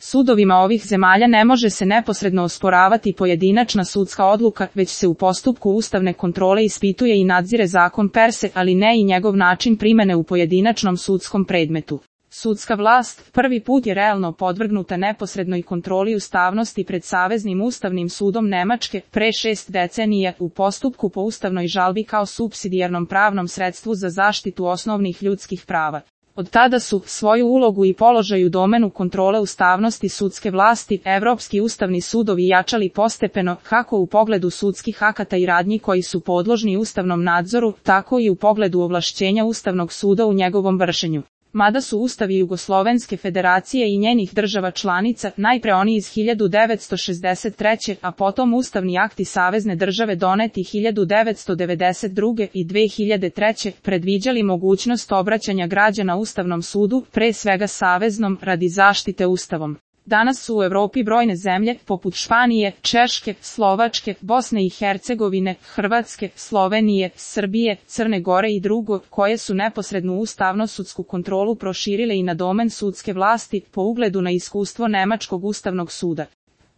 Sudovima ovih zemalja ne može se neposredno osporavati pojedinačna sudska odluka, već se u postupku ustavne kontrole ispituje i nadzire zakon per se, ali ne i njegov način primene u pojedinačnom sudskom predmetu. Sudska vlast prvi put je realno podvrgnuta neposrednoj kontroli ustavnosti pred Saveznim ustavnim sudom Nemačke pre 6 decenija u postupku po ustavnoj žalbi kao supsidijarnom pravnom sredstvu za zaštitu osnovnih ljudskih prava. Od tada su svoju ulogu i položaj u domenu kontrole ustavnosti sudske vlasti Evropski ustavni sudovi jačali postepeno, kako u pogledu sudskih akata i radnji koji su podložni ustavnom nadzoru, tako i u pogledu ovlašćenja Ustavnog suda u njegovom vršenju. Mada su ustavi Jugoslovenske federacije i njenih država članica, najpre oni iz 1963. a potom ustavni akti savezne države doneti 1992. i 2003. predviđali mogućnost obraćanja građana Ustavnom sudu, pre svega saveznom, radi zaštite Ustavom. Danas su u Evropi brojne zemlje, poput Španije, Češke, Slovačke, Bosne i Hercegovine, Hrvatske, Slovenije, Srbije, Crne Gore i drugo, koje su neposrednu ustavno-sudsku kontrolu proširile i na domen sudske vlasti, po ugledu na iskustvo Nemačkog ustavnog suda.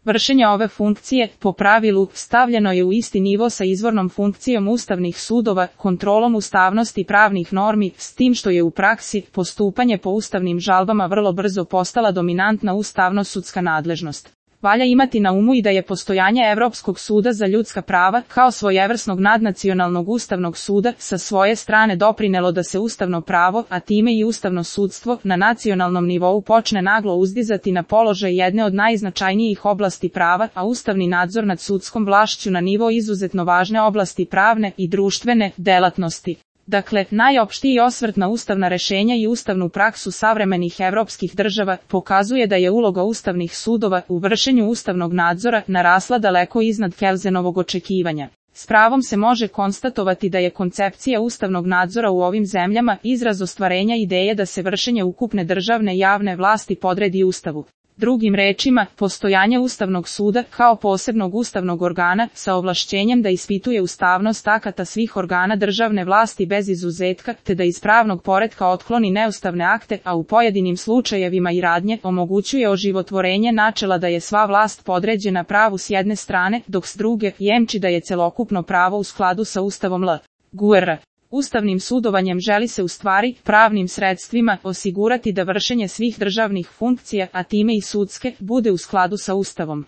Vršenje ove funkcije, po pravilu, stavljeno je u isti nivo sa izvornom funkcijom ustavnih sudova, kontrolom ustavnosti pravnih normi, s tim što je u praksi postupanje po ustavnim žalbama vrlo brzo postala dominantna ustavno-sudska nadležnost. Valja imati na umu i da je postojanje Evropskog suda za ljudska prava, kao svojevrsnog nadnacionalnog ustavnog suda, sa svoje strane doprinelo da se ustavno pravo, a time i ustavno sudstvo, na nacionalnom nivou počne naglo uzdizati na položaj jedne od najznačajnijih oblasti prava, a ustavni nadzor nad sudskom vlašću na nivo izuzetno važne oblasti pravne i društvene delatnosti. Dakle, najopštiji osvrt na ustavna rešenja i ustavnu praksu savremenih evropskih država pokazuje da je uloga ustavnih sudova u vršenju ustavnog nadzora narasla daleko iznad Kelzenovog očekivanja. S pravom se može konstatovati da je koncepcija ustavnog nadzora u ovim zemljama izraz ostvarenja ideje da se vršenje ukupne državne javne vlasti podredi Ustavu. Drugim rečima, postojanje Ustavnog suda kao posebnog ustavnog organa sa ovlašćenjem da ispituje ustavnost akata svih organa državne vlasti bez izuzetka, te da iz pravnog poretka otkloni neustavne akte, a u pojedinim slučajevima i radnje, omogućuje oživotvorenje načela da je sva vlast podređena pravu s jedne strane, dok s druge jemči da je celokupno pravo u skladu sa Ustavom LGUR. Ustavnim sudovanjem želi se u stvari, pravnim sredstvima, osigurati da vršenje svih državnih funkcija, a time i sudske, bude u skladu sa Ustavom.